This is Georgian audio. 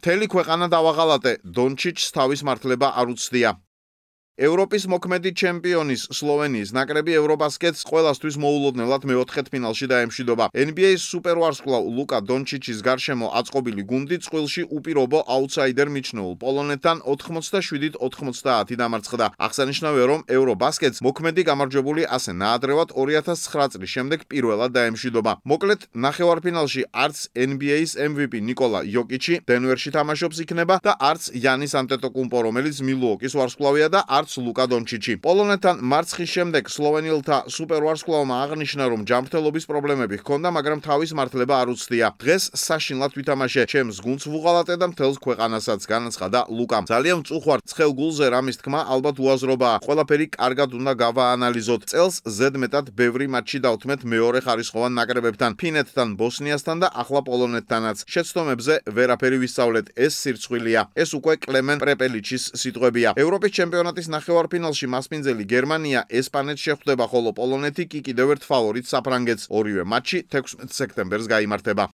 მთელი ქვეყანა დავაღალატე, დონჩიჩს თავის მართლება არ უცდია. ევროპის მოქმედი ჩემპიონის სლოვენიის ნაკრები ევრობასკეტს ყველასთვის მოულოდნელად მეოთხედფინალში დაემშვიდობა. NBA-ის სუპერვარსკვლავ ლუკა დონჩიჩის გარშემო აწყობილი გუნდი წყვილში უპირობო აუთსაიდერ მიჩნეულ პოლონეთთან 87-90 დამარცხდა. აღსანიშნავია, რომ ევრობასკეტს მოქმედი გამარჯვებული ასე ნაადრევად 2009 წლის შემდეგ პირველად დაემშვიდობა. მოკლედ, ნახევარფინალში არც NBA-ის MVP ნიკოლა იოკიჩი დენვერში თამაშობს იქნება და არც იანის ანტეტოკუმპო, რომელიც მილუოკის ვარსკვლავია და არც ლუკა დონჩიჩი. პოლონეთთან მარცხის შემდეგ სლოვენელთა სუპერვარსკვლავმა აღნიშნა, რომ ჯანმრთელობის პრობლემები ჰქონდა, მაგრამ თავის მართლება არ უცდია. დღეს საშინლად ვითამაშე, ჩემს გუნდს ვუღალატე და მთელს ქვეყანასაც, განაცხადა ლუკამ. ძალიან მწუხვარ ცხელ გულზე რამის თქმა ალბათ უაზრობაა. ყველაფერი კარგად უნდა გავაანალიზოთ. წელს ზედმეტად ბევრი მატჩი დავთმეთ მეორე ხარისხოვან ნაკრებებთან, ფინეთთან, ბოსნიასთან და ახლა პოლონეთთანაც. შეცდომებზე ვერაფერი ვისწავლეთ. ეს სირცხვილია. ეს უკვე კლემენ პრეპელიჩის სიტყვებია. ევროპის ჩემპიონატის ნახევარფინალში მასპინძელი გერმანია ესპანეთს შეხვდება, ხოლო პოლონეთი კი კიდევ ერთ ფავორიტს საფრანგეთს. ორივე მატჩი 16 სექტემბერს გაიმართება.